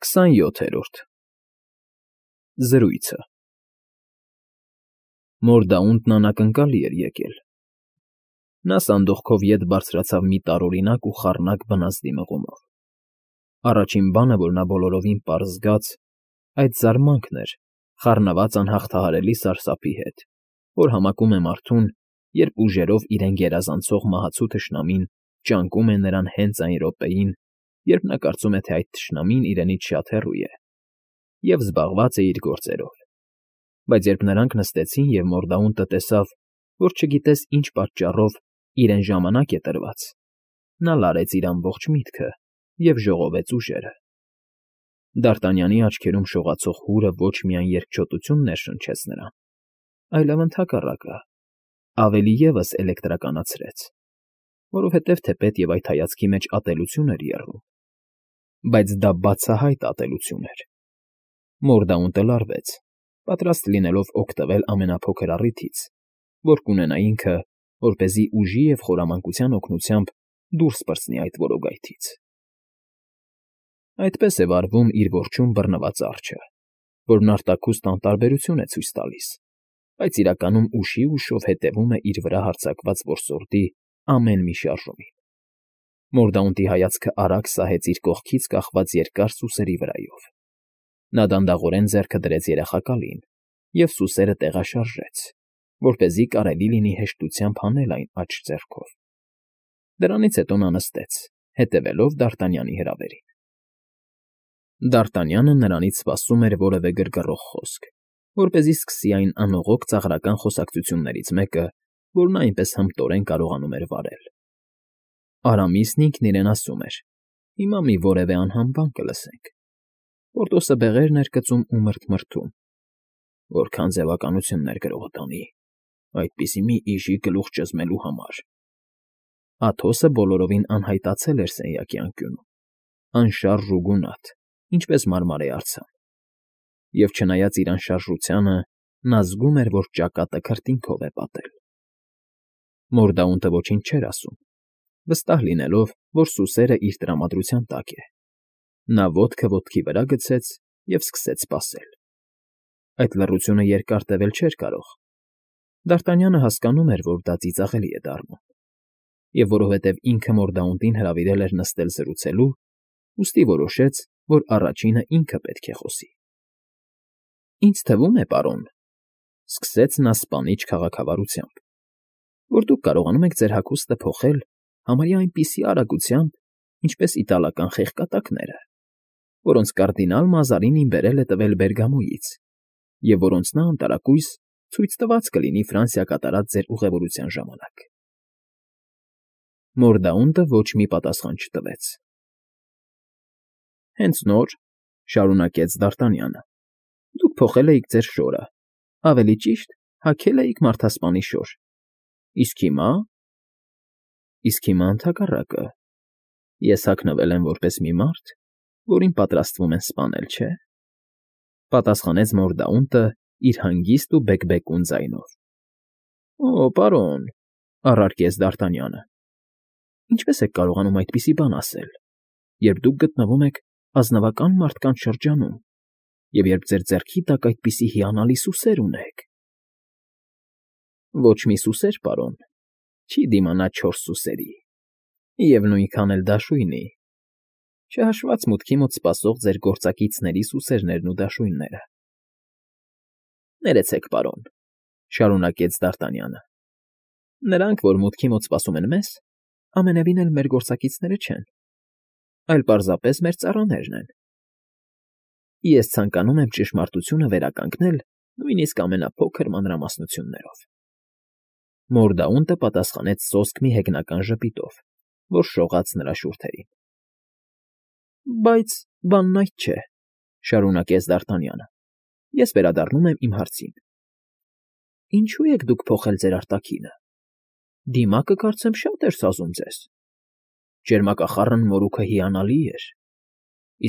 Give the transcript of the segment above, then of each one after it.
27-րդ Զրույցը Մորդաունտն անակնկալի էր եկել։ Նա սանդուղքով ետ բարձրացավ մի տարօրինակ ու խառնակ բնազդի մղումով։ Առաջին բանը, որ նա բոլորովին պարզ զգաց, այդ զարմանքն էր խառնված անհաղթահարելի սարսափի հետ, որ համակում է մարդուն, երբ ուժերով իրեն գերազանցող մահացու թշնամին ճանկում է նրան հենց այն րոպեին, երբ նա կարծում է, թե այդ թշնամին իրենից շատ հեռու է և զբաղված է իր գործերով։ Բայց երբ նրանք նստեցին և Մորդաունտը տեսավ, որ չգիտես ինչ պատճառով իրեն ժամանակ է տրված, նա լարեց իր ամբողջ միտքը և ժողովեց ուժերը։ Դ'Արտանյանի աչքերում շողացող հուրը ոչ միայն երկչոտություն ներշնչեց նրան, այլև ընդհակառակը, ավելի ևս էլեկտրականացրեց, որովհետև թեպետ և այդ հայացքի մեջ ատելություն էր եռում, բայց դա բացահայտ ատելություն էր։ Մորդաունտը լարվեց, պատրաստ լինելով օգտվել ամենափոքր առիթից, որ կունենա ինքը, որպեսզի ուժի և խորամանկության օգնությամբ դուրս պրծնի այդ որոգայթից։ Այդպես է վարվում իր որջում բռնված արջը, որն արտաքուստ անտարբերություն է ցույց տալիս, բայց իրականում ուշի ուշով հետևում է իր վրա հարձակված որսորդի ամեն մի շարժումին։ Մորդաունտի հայացքը արագ սահեց իր կողքից կախված երկար սուսերի վրայով։ Նա դանդաղորեն ձեռքը դրեց երախակալին և սուսերը տեղաշարժեց, որպեսզի կարելի լինի հեշտությամբ հանել այն աջ ձեռքով։ Դրանից հետո նա նստեց, հետևելով Դ'Արտանյանի հրավերին։ Դ'Արտանյանը նրանից սպասում էր որևէ գրգռող խոսք, որպեսզի սկսի այն անողոք ծաղրական խոսակցություններից մեկը, որ նա այնպես հմտորեն կարողանում էր վարել։ Արամիսն ինքն իրեն ասում էր. «Հիմա մի որևէ անհամ բան կլսենք»։ Պորտոսը բեղերն էր կծում ու մռթմռթում. «Որքան ձևականություններ գրողը տանի, այդպիսի մի իժի գլուխ ճզմելու համար»։ Աթոսը բոլորովին անհայտացել էր սենյակի անկյունում, անշարժ ու գունատ, ինչպես մարմարե արձան։ Եվ չնայած իր անշարժությանը, նա զգում էր, որ ճակատը քրտինքով է պատել։ Մորդաունտը ոչինչ չէր ասում, վստահ լինելով, որ սուսերն իր տրամադրության տակ է։ Նա ոտքը ոտքի վրա գցեց և սկսեց սպասել։ Այդ լռությունը երկար տևել չէր կարող։ Դ'Արտանյանը հասկանում էր, որ դա ծիծաղելի է դառնում, և որովհետև ինքը Մորդաունտին հրավիրել էր նստել զրուցելու, ուստի որոշեց, որ առաջինը ինքը պետք է խոսի։ «Ինձ թվում է, պարոն,֊ սկսեց նա սպանիչ քաղաքավարությամբ,֊ որ դուք կարողանում եք ձեր հագուստը փոխել համարյա այնպիսի արագությամբ, ինչպես իտալական խեղկատակները, որոնց կարդինալ Մազարինին բերել է տվել Բերգամոյից և որոնց նա անտարակույս ցույց տված կլինի Ֆրանսիա կատարած ձեր ուղևորության ժամանակ»։ Մորդաունտը ոչ մի պատասխան չտվեց։ «Հենց նոր,֊ շարունակեց Դ'Արտանյանը,֊ դուք փոխել էիք ձեր շորը, ավելի ճիշտ, հագել էիք մարդասպանի շոր, իսկ հիմա… Իսկ հիմա ընդհակառակը, ես հագնվել եմ որպես մի մարդ, որին պատրաստվում են սպանել, չէ՞,֊ պատասխանեց Մորդաունտը իր հանգիստ ու բեկբեկուն ձայնով։ «Օ, պարոն,֊ առարկեց Դ'Արտանյանը,֊ ինչպե՞ս եք կարողանում այդպիսի բան ասել, երբ դուք գտնվում եք ազնվական մարդկանց շրջանում և երբ ձեր ձեռքի տակ այդպիսի հիանալի սուսեր ունեք»։ «Ոչ մի սուսեր, պարոն, չի դիմանա չորս սուսերի, և նույնքան էլ դաշույնի, չհաշված մուտքի մոտ սպասող ձեր գործակիցների սուսերներն ու դաշույնները»։ «Ներեցեք, պարոն,֊ շարունակեց Դ'Արտանյանը,֊ նրանք, որ մուտքի մոտ սպասում են մեզ, ամենևին էլ մեր գործակիցները չեն, այլ պարզապես մեր ծառաներն են։ Ես ցանկանում եմ ճշմարտությունը վերականգնել նույնիսկ ամենափոքր մանրամասնություններով»։ Մորդաունտը պատասխանեց սոսկ մի հեգնական ժպիտով, որ շողաց նրա շուրթերին։ «Բայց բանն այդ չէ,֊ շարունակեց Դ'Արտանյանը,֊ ես վերադառնում եմ իմ հարցին. ինչո՞ւ եք դուք փոխել ձեր արտաքինը։ Դիմակը, կարծեմ, շատ էր սազում ձեզ։ Ճերմակախառն մորուքը հիանալի էր,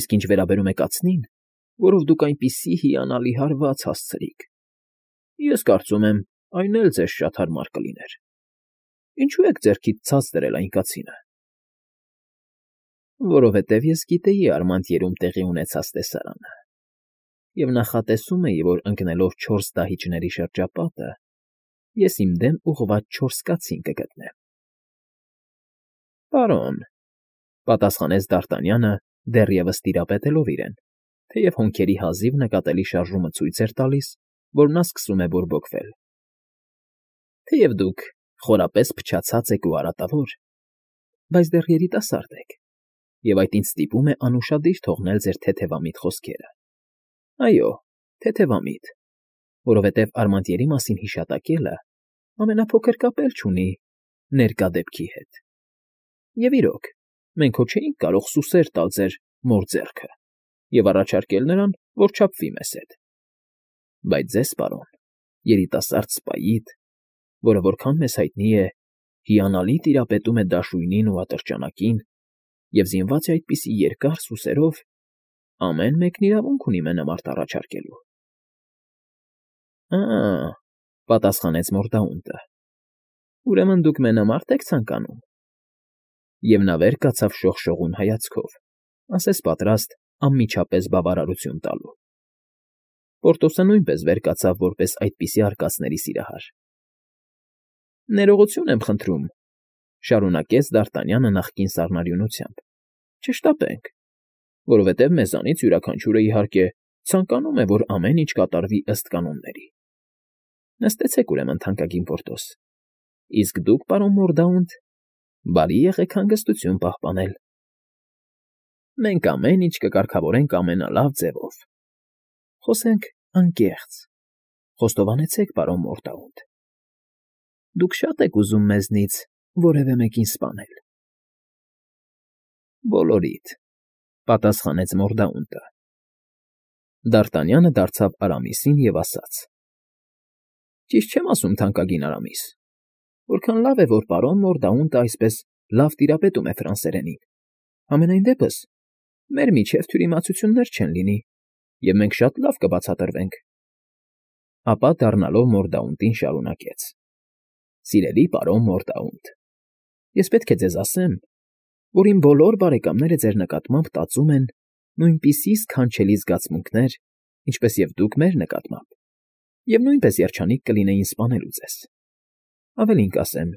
իսկ ինչ վերաբերում է կացնին, որով դուք այնպիսի հիանալի հարված հասցրիք, ես կարծում եմ, այն էլ ձեզ շատ հարմար կլիներ։ Ինչո՞ւ եք ձեռքից ցած դրել այն կացինը»։ Որովհետև ես գիտեի Արմանտիերում տեղի ունեցած տեսարանը, և նախատեսում էի, որ ընկնելով 4 դահիճների շրջապատը, ես իմ դեմ ուղղված 4 կացին կգտնեմ։ ֊ Պարոն,֊ պատասխանեց Դ'Արտանյանը, դեռևս տիրապետելով իրեն, թեև հոնքերի հազիվ նկատելի շարժումը ցույց էր տալիս, որ նա սկսում է բորբոքվել։ ֊ Թեև դուք խորապես փչացած եք ու արատավոր, բայց դեռ երիտասարդ եք, և այդ ինձ ստիպում է անուշադիր թողնել ձեր թեթևամիտ խոսքերը։ Այո, թեթևամիտ, որովհետև Արմանտիերի մասին հիշատակելը ամենափոքր կապ էլ չունի ներկա դեպքի հետ։ Եվ իրոք, մենք հո չէինք կարող սուսեր տալ ձեր մոր ձեռքը և առաջարկել նրան, որ չափվի մեզ հետ։ Բայց ձեզ, պարոն, երիտասարդ սպայիդ, որը որքան մեզ հայտնի է, հիանալի տիրապետում է դաշույնին ու ատրճանակին և զինված է այդպիսի երկար սուսերով, ամեն մեկն իրավունք ունի մենամարտ առաջարկելու։ ֊ պատասխանեց Մորդաունտը,֊ ուրեմն դուք մենամա՞րդ եք ցանկանում։ Եվ նա վեր կացավ շողշողուն հայացքով, ասես պատրաստ անմիջապես բավարարություն տալու։ Պորտոսը նույնպես վեր կացավ որպես այդպիսի արկածների սիրահար։ ֊ Ներողություն եմ խնդրում,֊ շարունակեց Դ'Արտանյանը նախկին սառնարյունությամբ,֊ չշտապենք, որովհետև մեզանից յուրաքանչյուրը, իհարկե, ցանկանում է, որ ամեն ինչ կատարվի ըստ կանոնների։ Նստեցեք, ուրեմն, թանկագին Պորտոս, իսկ դուք, պարոն Մորդաունտ, բարի եղեք հանգստություն պահպանել։ Մենք ամեն ինչ կկարգավորենք ամենալավ ձևով։ Խոսենք անկեղծ, խոստովանեցեք, պարոն Մորդաունտ, դուք շատ եք ուզում մեզնից որևէ մեկին սպանել։ ֊ Բոլորիդ,֊ պատասխանեց Մորդաունտը։ Դ'Արտանյանը դարձավ Արամիսին և ասաց. Ճիշտ չեմ ասում, թանկագին Արամիս, որքան լավ է, որ պարոն Մորդաունտը այսպես լավ տիրապետում է ֆրանսերենին։ Համենայն դեպս, մեր միջև թյուրիմացություններ չեն լինի, և մենք շատ լավ կբացատրվենք։ Ապա դառնալով Մորդաունտին շարունակեց. Սիրելի պարոն Մորդաունտ, ես պետք է ձեզ ասեմ, որ իմ բոլոր բարեկամները ձեր նկատմամբ տածում են նույնպիսի սքանչելի զգացմունքներ, ինչպես և դուք մեր նկատմամբ, և նույնպես երջանիկ կլինեին սպանելու ձեզ։ Ավելին կասեմ,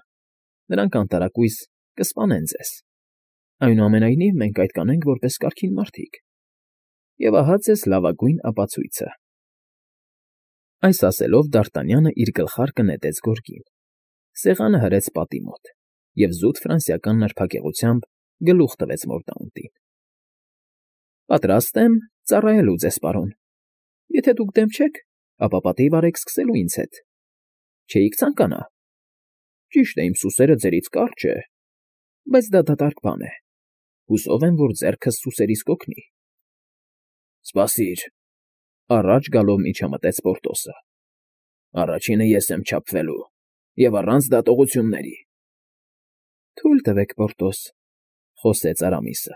նրանք անտարակույս կսպանեն ձեզ։ Այնուամենայնիվ մենք այդ կանենք որպես կարգին մարդիկ։ Եվ ահա ձեզ լավագույն ապացույցը։ Այս ասելով Դ'Արտանյանը իր գլխարկը նետեց գորգին, սեղանը հրեց պատի մոտ և զուտ ֆրանսիական նրբագեղությամբ գլուխ տվեց Մորդաունտին։ Պատրաստ եմ ծառայելու ձեզ, պարոն։ Եթե դուք դեմ չեք, ապա պատիվ արեք սկսելու ինձ հետ։ Չէիք ցանկանա։ Ճիշտ է, իմ սուսերը ձերից կարճ է, բայց դա դատարկ բան է։ Հուսով եմ, որ ձեռքս սուսերիս կօգնի։ Սպասիր,֊ առաջ գալով միջամտեց Պորտոսը։ Առաջինը ես եմ չափվելու, և առանց դատողությունների։ Թույլ տվեք, Պորտոս,֊ խոսեց Արամիսը։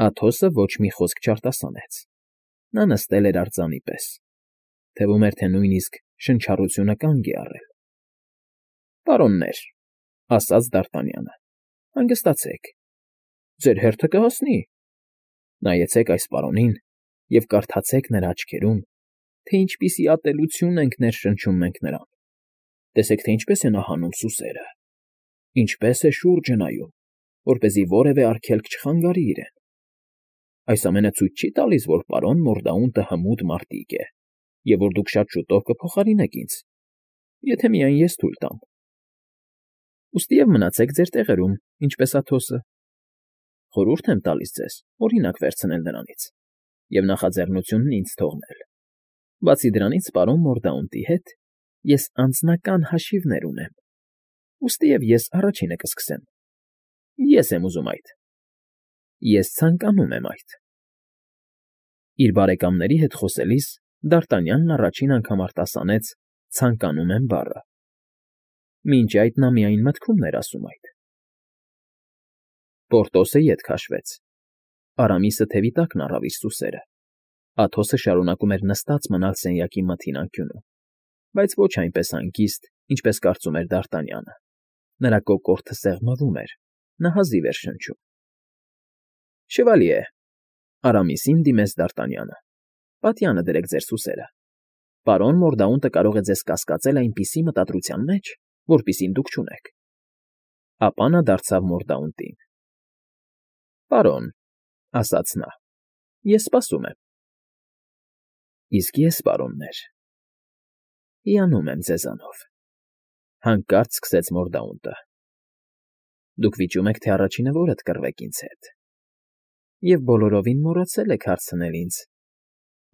Աթոսը ոչ մի խոսք չարտասանեց։ Նա նստել էր արձանի պես։ Թվում էր, թե նույնիսկ շնչառությունը կանգ է առել։ Պարոններ,֊ ասաց Դ'Արտանյանը,֊ հանգստացեք։ Ձեր հերթը կհասնի։ Նայեցեք այս պարոնին և կարդացեք նրա աչքերում, թե ինչպիսի ատելություն ենք ներշնչում մենք նրան։ Տեսեք, թե ինչպես է նա հանում սուսերը, ինչպես է շուրջը նայում, որպեսզի որևէ արգելք չխանգարի իրեն։ Այս ամենը ցույց չի տալիս, որ պարոն Մորդաունտը հմուտ մարտիկ է, և որ դուք շատ շուտով կփոխարինեք ինձ, եթե միայն ես թույլ տամ։ Ուստիև մնացեք ձեր տեղերում, ինչպես Աթոսը։ Խորհուրդ եմ տալիս ձեզ օրինակ վերցնել նրանից և նախաձեռնությունն ինձ թողնել։ Բացի դրանից, պարոն Մորդաունտի հետ ես անձնական հաշիվներ ունեմ, ուստիև ես առաջինը կսկսեմ։ Ես եմ ուզում այդ։ Ես ցանկանում եմ այդ։ Իր բարեկամների հետ խոսելիս Դ'Արտանյանն առաջին անգամ արտասանեց «ցանկանում եմ» բառը։ Մինչ այդ նա միայն մտքում էր ասում այդ։ Պորտոսը ետ քաշվեց։ Արամիսը թևի տակն առավ իր սուսերը։ Աթոսը շարունակում էր նստած մնալ սենյակի մթին անկյունում, բայց ոչ այնպես հանգիստ, ինչպես կարծում էր Դ'Արտանյանը։ Նրա կոկորդը սեղմվում էր, նա հազիվ էր շնչում։ Շևալիե, Արամիսին դիմեց Դարտանյանը, պատյանը դրեք ձեր սուսերը։ Պարոն Մորդաունտը կարող է ձեզ կասկածել այնպիսի մտադրության մեջ, որպիսին դուք չունեք։ Ապա նա դարձավ Մորդաունտին։ Պարոն, ասաց նա, ես սպասում եմ։ Իսկ ես, պարոններ, հիանում եմ ձեզանով, հանկարծ սկսեց Մորդաունտը։ Դուք վիճում եք, թե առաջինը որդ կռվեք ինձ հետ, և բոլորովին մոռացել եք հարցնել ինձ,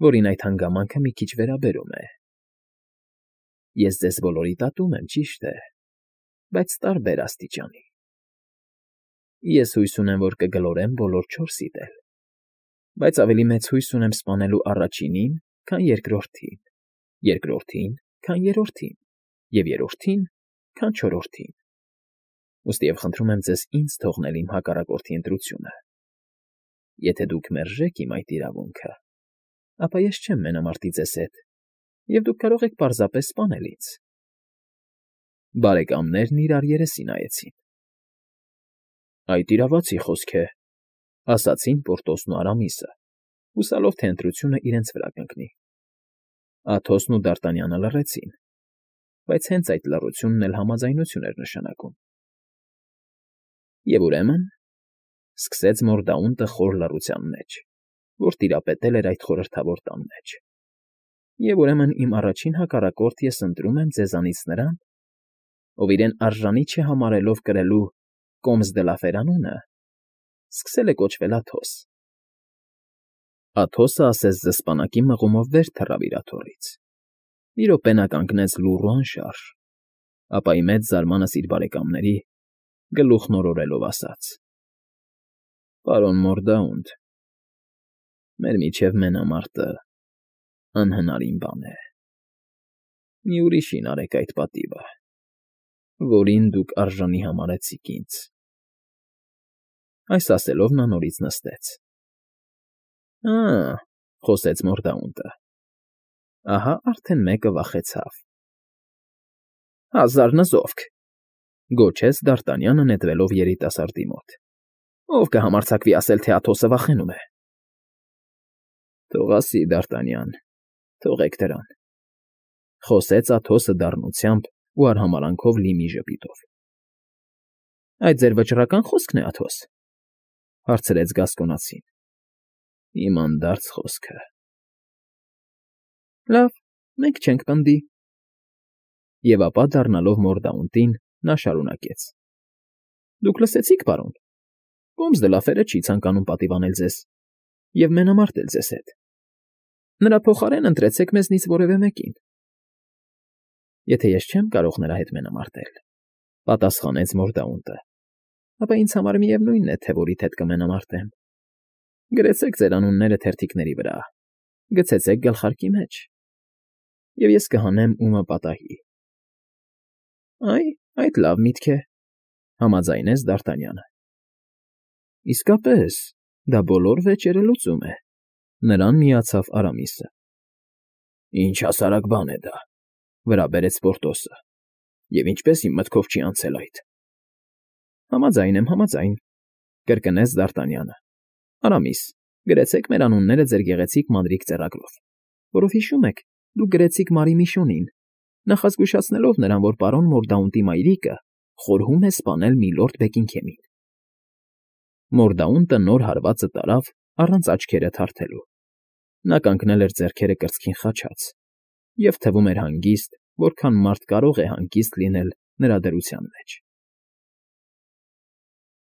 որին այդ հանգամանքը մի քիչ վերաբերում է։ Ես ձեզ բոլորիդ ատում եմ, ճիշտ է, բայց տարբեր աստիճանի։ Ես հույս ունեմ, որ կգլորեմ բոլոր չորսիդ էլ, բայց ավելի մեծ հույս ունեմ սպանելու առաջինին, քան երկրորդին, երկրորդին, քան երրորդին, և երրորդին, քան չորրորդին։ Ուստիև խնդրում եմ ձեզ ինձ թողնել իմ հակառակորդի ընտրությունը։ Եթե դուք մերժեք իմ այդ իրավունքը, ապա ես չեմ մենամարտի ձեզ հետ, և դուք կարող եք պարզապես սպանել ինձ։ Բարեկամներն իրար երեսի նայեցին։ Այդ իրավացի խոսք է, ասացին Պորտոսն ու Արամիսը, հուսալով, թե ընտրությունը իրենց վրա կընկնի։ Աթոսն ու Դարտանյանը լռեցին, բայց հենց այդ լռությունն էլ համաձայնություն էր նշանակում։ Եվ ուրեմն, սկսեց Մորդաունտը խոր լռության մեջ, որ տիրապետել էր այդ խորհրդավոր տան մեջ։ Եվ ուրեմն իմ առաջին հակառակորդ ես ընտրում եմ ձեզանից նրան, ով իրեն արժանի չհամարելով կրելու Կոմս դե լա Ֆերանունը, սկսել է կոչվել Աթոս։ Աթոսը ասես զսպանակի մղումով վեր թռավ իր աթոռից։ Մի րոպե նա կանգնեց լուռ ու անշարժ, ապա ի մեծ զարմանս իր բարեկամների, գլուխն օրորելով ասաց. Պարոն Մորդաունտ, մեր միջև մենամարտը անհնարին բան է։ Մի ուրիշին արեք այդ պատիվը, որին դուք արժանի համարեցիք ինձ։ Այս ասելով նա նորից նստեց։ Խոսեց Մորդաունտը, ահա արդեն մեկը վախեցավ։ Հազար նզովք, գոչեց Դարտանյանը նետվելով երիտասարդի մոտ։ Ով կհամարձակվի ասել, թե Աթոսը վախենում է։ Թող ասի, Դարտանյան, թողեք դրան, խոսեց Աթոսը դառնությամբ ու արհամարանքով լի մի ժպիտով։ Այդ ձեր վճռական խոսքն է, Աթոս, հարցրեց Գասկոնացին։ Իմ անդարձ խոսքը։ Լավ, մենք չենք պնդի։ Եվ ապա դառնալով Մորդաունտին, նա շարունակեց. Դուք լսեցիք, պարոն, Կոմս դե լա Ֆերը չի ցանկանում պատիվանել ձեզ և մենամարտել ձեզ հետ։ Նրա փոխարեն ընտրեցեք մեզնից որևէ մեկին։ Եթե ես չեմ կարող նրա հետ մենամարտել, պատասխանեց Մորդաունտը, ապա ինձ համար միևնույնն է, թե որիդ հետ կմենամարտեմ։ Գրեցեք ձեր անունները թերթիկների վրա, գցեցեք գլխարկի մեջ, և ես կհանեմ ումը պատահի։ Այդ լավ միտք է, համաձայնեց Դարտանյանը։ Իսկապես, դա բոլոր վեճերը լուծում է, նրան միացավ Արամիսը։ Ինչ հասարակ բան է դա, վրա բերեց Պորտոսը, և ինչպես իմ մտքով չի անցել այդ։ Համաձայն եմ, կրկնեց Դարտանյանը։ Արամիս, գրեցեք մեր անունները ձեր գեղեցիկ մանրիկ ծեռագրով, որով հիշում եք, դուք գրեցիք Մարի Միշոնին, նախազգուշացնելով նրան, որ պարոն Մորդաունտի մայրիկը խորհում է սպանել միլորդ Բեկինգհեմին։ Մորդաունտը նոր հարվածը տարավ առանց աչքերը թարթելու։ Նա կանգնել էր ձեռքերը կրծքին խաչած և թվում էր հանգիստ, որքան մարդ կարող է հանգիստ լինել նրա դրության մեջ։